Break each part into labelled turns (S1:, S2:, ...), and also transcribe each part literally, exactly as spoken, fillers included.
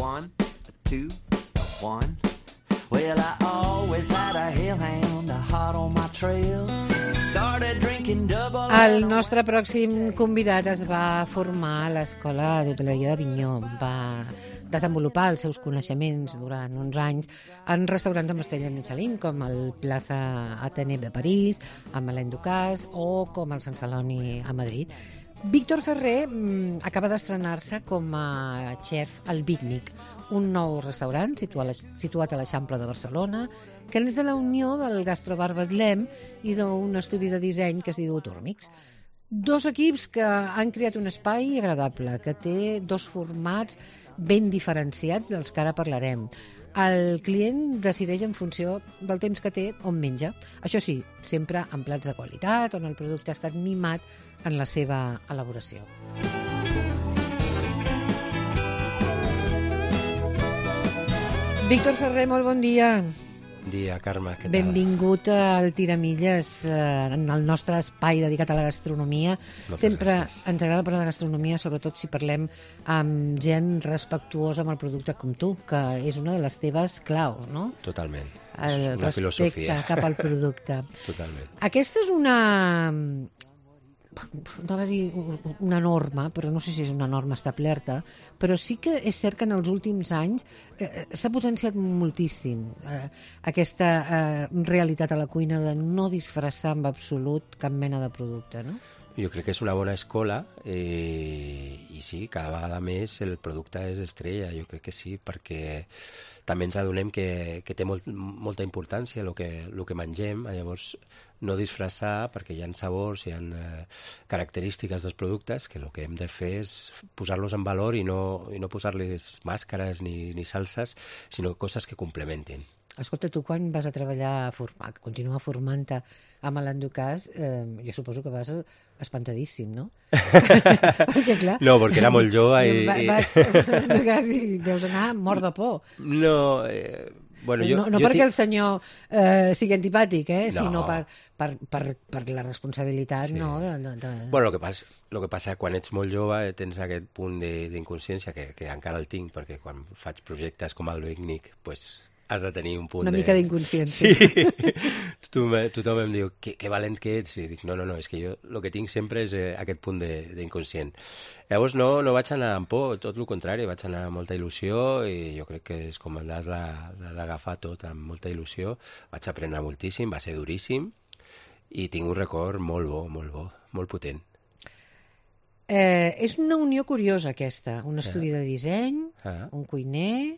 S1: one, a two, a one. Well, I always had a hellhound, a hot on my trail. Started drinking double.
S2: El nostre pròxim convidat es va formar a l'Escola d'Hoteleria d'Avinyó. Va desenvolupar els seus coneixements durant uns anys en restaurants amb estrella Michelin, com el Plaza Athénée de París, amb Alain Ducasse, o com el Sant Celoni a Madrid. Víctor Ferrer mmm, acaba d'estrenar-se com a xef al Bignic, un nou restaurant situat a l'Eixample de Barcelona, que és de la unió del Gastrobar Betlem i d'un estudi de disseny que es diu Turmix. Dos equips que han creat un espai agradable, que té dos formats ben diferenciats dels que ara parlarem. El client decideix en funció del temps que té on menja. Això sí, sempre amb plats de qualitat, on el producte ha estat mimat en la seva elaboració. Víctor Ferrer, molt bon dia.
S3: Bon dia, Carme, què tal?
S2: Benvingut al Tiramilles, eh, en el nostre espai dedicat a la gastronomia.
S3: Moltes
S2: Sempre
S3: gràcies.
S2: ens agrada parlar de gastronomia, sobretot si parlem amb gent respectuosa amb el producte com tu, que és una de les teves claus, no?
S3: Totalment.
S2: El
S3: És una
S2: respecte
S3: filosofia.
S2: cap al producte.
S3: Totalment.
S2: Aquesta és una... no va dir una norma, però no sé si és una norma establerta, però sí que és cert que en els últims anys eh, s'ha potenciat moltíssim eh, aquesta eh, realitat a la cuina de no disfressar en absolut cap mena de producte, no?
S3: Jo crec que és una bona escola eh, i sí, cada vegada més el producte és estrella, jo crec que sí, perquè també ens adonem que, que té molt, molta importància el que, el que mengem, llavors no disfressar perquè hi ha sabors, hi ha eh, característiques dels productes que el que hem de fer és posar-los en valor i no, i no posar-les màscares ni, ni salses, sinó coses que complementin.
S2: Escolta, tu quan vas a treballar, a formar, a continuar formant-te amb Alain Ducasse, eh, jo suposo que vas espantadíssim, no? perquè, clar,
S3: No, perquè era molt jove i...
S2: Va, vaig, Ducasse, i deus anar mort de por.
S3: No, eh, bueno, jo...
S2: no no
S3: jo
S2: perquè
S3: tinc...
S2: el senyor eh, sigui antipàtic, eh,
S3: No.
S2: sinó per, per, per, per la responsabilitat,
S3: Sí.
S2: no? De, de, de...
S3: Bueno, el que passa, el que passa quan ets molt jove tens aquest punt de- d'inconsciència que, que encara el tinc, perquè quan faig projectes com el Bignic, pues, has de tenir un punt
S2: Una
S3: de...
S2: mica d'inconsciència.
S3: Sí. tothom, tothom em diu, que, que valent que ets. I dic, no, no, no, és que jo el que tinc sempre és eh, aquest punt de- d'inconscient. Llavors no, no vaig anar amb por, tot el contrari, vaig anar amb molta il·lusió i jo crec que és com has de- d'agafar tot amb molta il·lusió. Vaig aprendre moltíssim, va ser duríssim i tinc un record molt bo, molt bo, molt potent.
S2: Eh, és una unió curiosa aquesta, un estudi de disseny,
S3: Ah.
S2: un cuiner,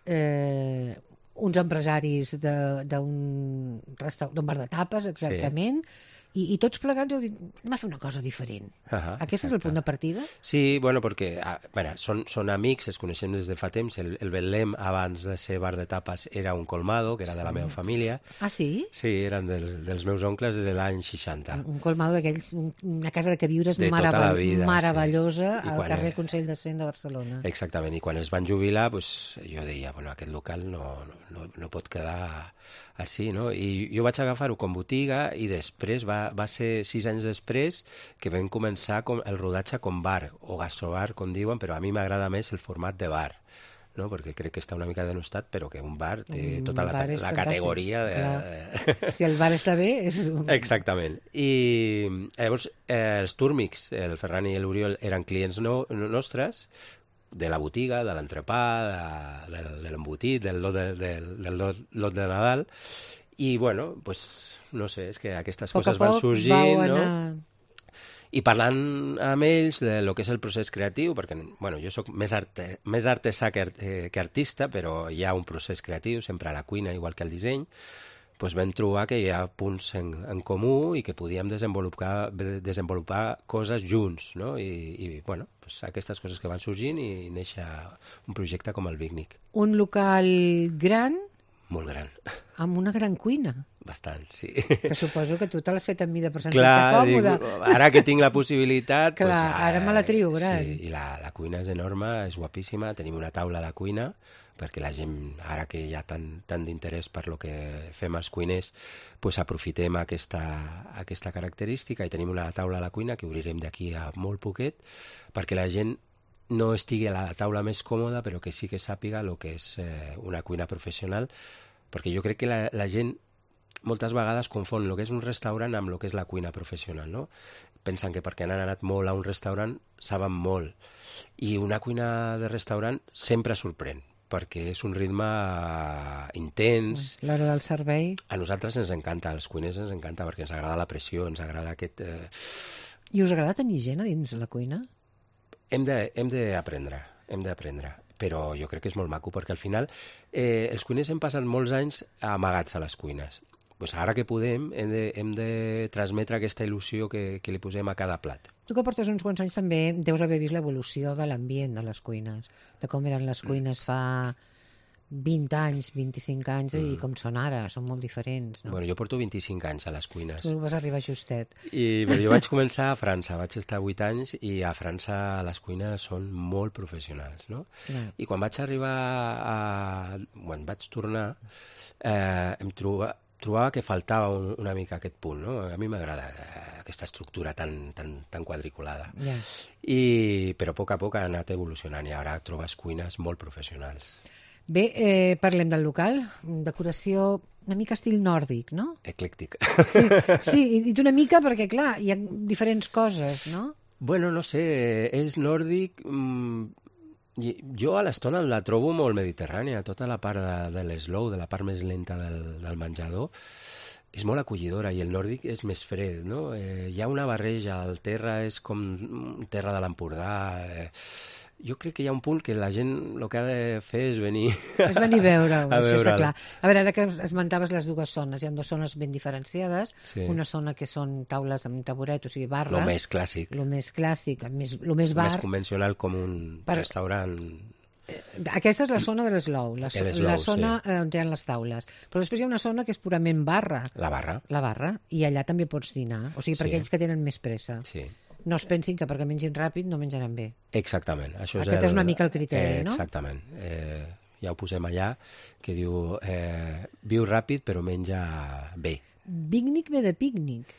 S2: eh, uns empresaris de- d'un resta- d'un bar de tapes, exactament, i, i tots plegats heu dit, anem a fer una cosa diferent.
S3: Ah,
S2: Aquest és el punt de partida?
S3: Sí, bueno, perquè ah, bueno, són, són amics, es coneixem des de fa temps. El, el Betlem, abans de ser bar de tapes, era un colmado, que era de la meva família.
S2: Ah, sí?
S3: Sí, eren dels, dels meus oncles de l'any seixanta.
S2: Un colmado d'aquells, un- una casa de queviures
S3: De tota
S2: meravell-
S3: la vida,
S2: meravellosa
S3: sí. I
S2: al
S3: quan
S2: carrer
S3: era-
S2: Consell de Cent de Barcelona.
S3: Exactament, i quan es van jubilar, pues, jo deia, bueno, aquest local no, no, no pot quedar així, no? I jo vaig agafar-ho com botiga i després va, va ser sis anys després que vam començar com el rodatge com bar, o gastrobar, com diuen, però a mi m'agrada més el format de bar, no? Perquè crec que està una mica denostat, però que un bar té
S2: Un
S3: tota la,
S2: bar és
S3: la
S2: fantàstic,
S3: categoria de...
S2: clar. Si el bar està bé, és...
S3: Exactament. I llavors eh, els Turmix, el Ferran i l'Oriol, eren clients no, no, nostres, de la botiga, de l'entrepà, de, de, de l'embotit, del lot de, del, del lot, lot de Nadal, i bueno, pues, no sé, és que aquestes
S2: Poc a
S3: coses van
S2: poc
S3: sorgint,
S2: vau
S3: no?
S2: anar...
S3: I parlant amb ells de lo que és el procés creatiu, perquè bueno, jo sóc més, arte, més artesà que, art, eh, que artista, però hi ha un procés creatiu, sempre a la cuina, igual que al disseny, doncs vam trobar que hi ha punts en, en comú i que podíem desenvolupar, desenvolupar coses junts, no? I, i bueno, doncs aquestes coses que van sorgint i néixer un projecte com el Bignic.
S2: Un local gran
S3: Molt gran,
S2: amb una gran cuina,
S3: bastant, sí.
S2: que suposo que tu te l'has fet amb mida per sentir-te
S3: Clar, dic,
S2: còmode.
S3: ara que tinc la possibilitat...
S2: Clar,
S3: doncs,
S2: ara me la trio gran.
S3: Sí, i la, la cuina és enorme, és guapíssima, tenim una taula de cuina, perquè la gent, ara que hi ha tant, tant d'interès per lo que fem els cuiners, pues aprofitem aquesta, aquesta característica i tenim una taula a la cuina que obrirem d'aquí a molt poquet, perquè la gent no estigui a la taula més còmoda, però que sí que sàpiga el que és eh, una cuina professional, perquè jo crec que la, la gent moltes vegades confon el que és un restaurant amb el que és la cuina professional, no? Pensen que perquè han anat molt a un restaurant saben molt, i una cuina de restaurant sempre sorprèn, perquè és un ritme intens.
S2: L'hora del servei.
S3: A nosaltres ens encanta, als cuiners ens encanta, perquè ens agrada la pressió, ens agrada aquest... Eh...
S2: I us agrada tenir gent a dins la cuina?
S3: Hem d'aprendre, hem d'aprendre, però jo crec que és molt maco, perquè al final eh, els cuiners hem passat molts anys amagats a les cuines. Pues ara que podem, hem de, hem de transmetre aquesta il·lusió que, que li posem a cada plat.
S2: Tu que portes uns quants anys també deus haver vist l'evolució de l'ambient de les cuines, de com eren les cuines fa vint anys, vint-i-cinc anys, mm. i com són ara, són molt diferents, no?
S3: Bueno, jo porto vint-i-cinc anys a les cuines.
S2: Tu vas arribar justet.
S3: I bueno, jo vaig començar a França, vaig estar vuit anys, i a França les cuines són molt professionals, no?
S2: Clar.
S3: I quan vaig arribar a... Quan vaig tornar, eh, em trobava... trobava que faltava un, una mica aquest punt, no? A mi m'agrada aquesta estructura tan, tan, tan quadriculada.
S2: Yeah.
S3: I, però a poc a poc ha anat evolucionant i ara trobes cuines molt professionals.
S2: Bé, eh, parlem del local. Decoració una mica estil nòrdic, no?
S3: Eclèctic.
S2: Sí, sí, i una mica perquè, clar, hi ha diferents coses, no?
S3: Bueno, no sé, és nòrdic... Mmm, jo a l'estona la trobo molt mediterrània, tota la part de, de l'eslow, de la part més lenta del, del menjador, és molt acollidora, i el nòrdic és més fred, no? Eh, hi ha una barreja, el terra és com terra de l'Empordà... Eh, jo crec que hi ha un punt que la gent el que ha de fer és venir...
S2: És venir a veure-ho,
S3: a
S2: això
S3: veure
S2: està clar. A veure, ara que esmentaves les dues zones, hi ha dues zones ben diferenciades,
S3: sí.
S2: Una zona que són taules amb taburet, o sigui, barra...
S3: Lo més clàssic.
S2: Lo més clàssic, més, lo més bar...
S3: Més convencional, com un per... restaurant...
S2: Aquesta és la zona de l'eslou, la, so la zona sí. on hi ha les taules. Però després hi ha una zona que és purament barra.
S3: La barra.
S2: La barra, i allà també pots dinar, o sigui, per sí. aquells que tenen més pressa.
S3: Sí.
S2: No es pensin que perquè mengin ràpid no menjaran bé.
S3: Exactament. Això
S2: Aquest és, el... és una mica el criteri,
S3: eh,
S2: no?
S3: Exactament. Eh, ja ho posem allà, que diu eh, viu ràpid però menja bé.
S2: Pícnic ve de pícnic.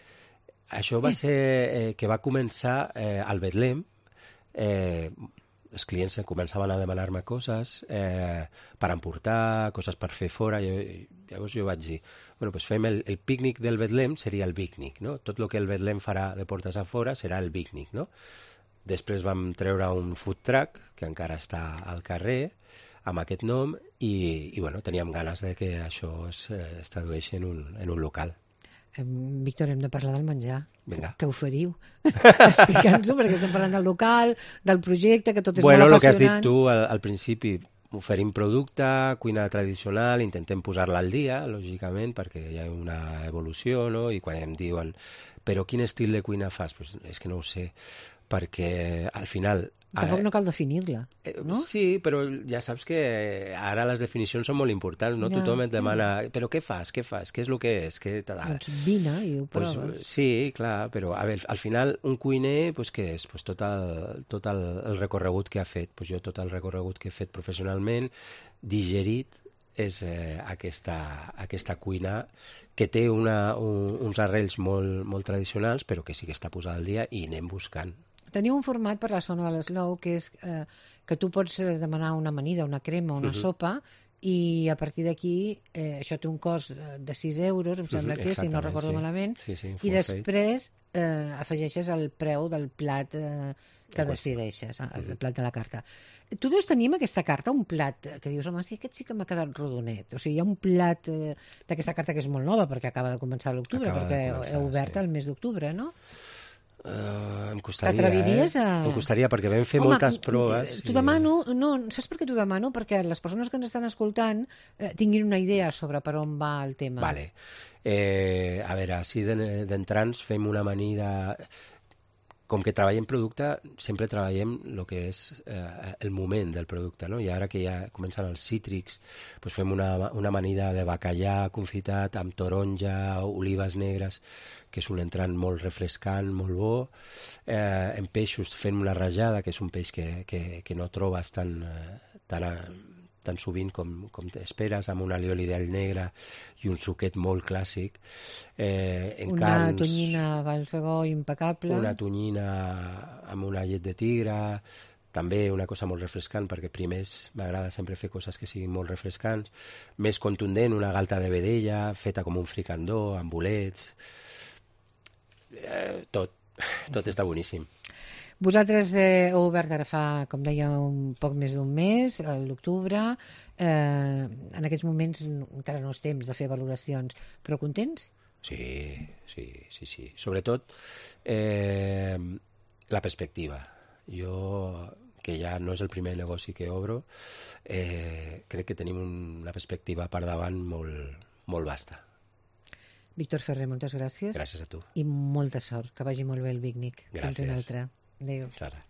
S3: Això va ser eh, que va començar eh, al Betlem. Eh, els clients començaven a demanar-me coses eh, per emportar, coses per fer fora. Jo, llavors jo vaig dir, bueno, pues fem el, el pícnic del Betlem, seria el pícnic, no? Tot el que el Betlem farà de portes a fora serà el pícnic, no? Després vam treure un food truck, que encara està al carrer, amb aquest nom, i, i bueno, teníem ganes de que això es, es tradueixi en un, en un local.
S2: Víctor, hem de parlar del menjar.
S3: Vinga.
S2: Què oferiu? Explica'ns-ho, perquè estem parlant del local, del projecte, que tot és
S3: bueno,
S2: molt apassionant. Bueno,
S3: el que has dit tu al, al principi, oferim producte, cuina tradicional, intentem posar-la al dia, lògicament, perquè hi ha una evolució, no? I quan em diuen, però quin estil de cuina fas? Pues és que no ho sé, perquè al final...
S2: Tampoc no cal definir-la, no?
S3: Sí, però ja saps que ara les definicions són molt importants, no? Ja. Tothom et demana, però què fas, què fas, què és el que és? Què...
S2: Doncs vine i ho proves.
S3: Pues, sí, clar, però a veure, al final un cuiner, pues, què és? Pues, tot el, tot el, el recorregut que ha fet. Pues, jo tot el recorregut que he fet professionalment, digerit, és eh, aquesta, aquesta cuina que té una, un, uns arrels molt, molt tradicionals, però que sí que està posada al dia i anem buscant.
S2: Teniu un format per la zona de l'eslou que és eh, que tu pots demanar una amanida, una crema, una uh-huh. sopa, i a partir d'aquí eh, això té un cost de sis euros, em sembla uh-huh. que, si no recordo
S3: sí.
S2: malament,
S3: sí, sí,
S2: i després eh, afegeixes el preu del plat eh, que decideixes, el uh-huh. plat de la carta. Tu deus tenir amb aquesta carta un plat que dius, home, sí, aquest sí que m'ha quedat rodonet. O sigui, hi ha un plat eh, d'aquesta carta que és molt nova, perquè acaba de començar l'octubre, perquè començar, heu obert sí. el mes d'octubre, no?
S3: Uh, em costaria,
S2: T'atreviries
S3: eh?
S2: a...
S3: Em costaria, perquè vam fer Home, moltes proves.
S2: T'ho i... demano, no, saps per què t'ho demano? Perquè les persones que ens estan escoltant eh, tinguin una idea sobre per on va el tema.
S3: Vale. Eh, a veure, si d'entrants fem una amanida... Com que treballem producte, sempre treballem el que és eh, el moment del producte, no? I ara que ja comencen els cítrics, doncs fem una, una amanida de bacallà confitat amb taronja, olives negres, que és un entrant molt refrescant, molt bo. Eh, en peixos fem una rajada, que és un peix que, que, que no trobes tan, tan, tan sovint com, com esperes, amb un alioli d'all negre i un suquet molt clàssic. Eh, en
S2: una
S3: carns,
S2: tonyina Valfegó impecable.
S3: Una tonyina amb una llet de tigre, també una cosa molt refrescant, perquè primers m'agrada sempre fer coses que siguin molt refrescants, més contundent, una galta de vedella, feta com un fricandó, amb bolets, eh, tot, tot està boníssim.
S2: Vosaltres eh, heu obert ara fa, com deia, un poc més d'un mes, a l'octubre. Eh, en aquests moments encara no és temps de fer valoracions, però contents?
S3: Sí, sí, sí, sí. Sobretot eh, la perspectiva. Jo, que ja no és el primer negoci que obro, eh, crec que tenim una perspectiva per davant molt, molt vasta.
S2: Víctor Ferrer, moltes gràcies.
S3: Gràcies a tu.
S2: I molta sort, que vagi molt bé el pícnic.
S3: Gràcies.
S2: Fins una altra. Adéu.
S3: Sara.